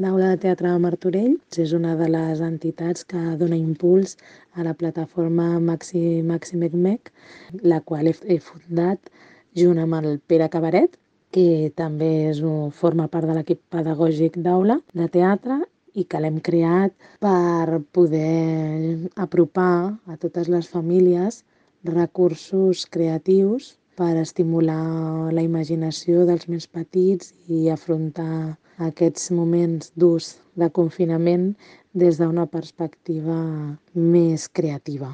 d'Aula de Teatre de Martorell. És una de les entitats que dona impuls a la plataforma Maximec, la qual he fundat junt amb el Pere Cabaret, que també forma part de l'equip pedagògic d'Aula de Teatre i que l'hem creat per poder apropar a totes les famílies recursos creatius per estimular la imaginació dels més petits i afrontar aquests moments durs de confinament des d'una perspectiva més creativa.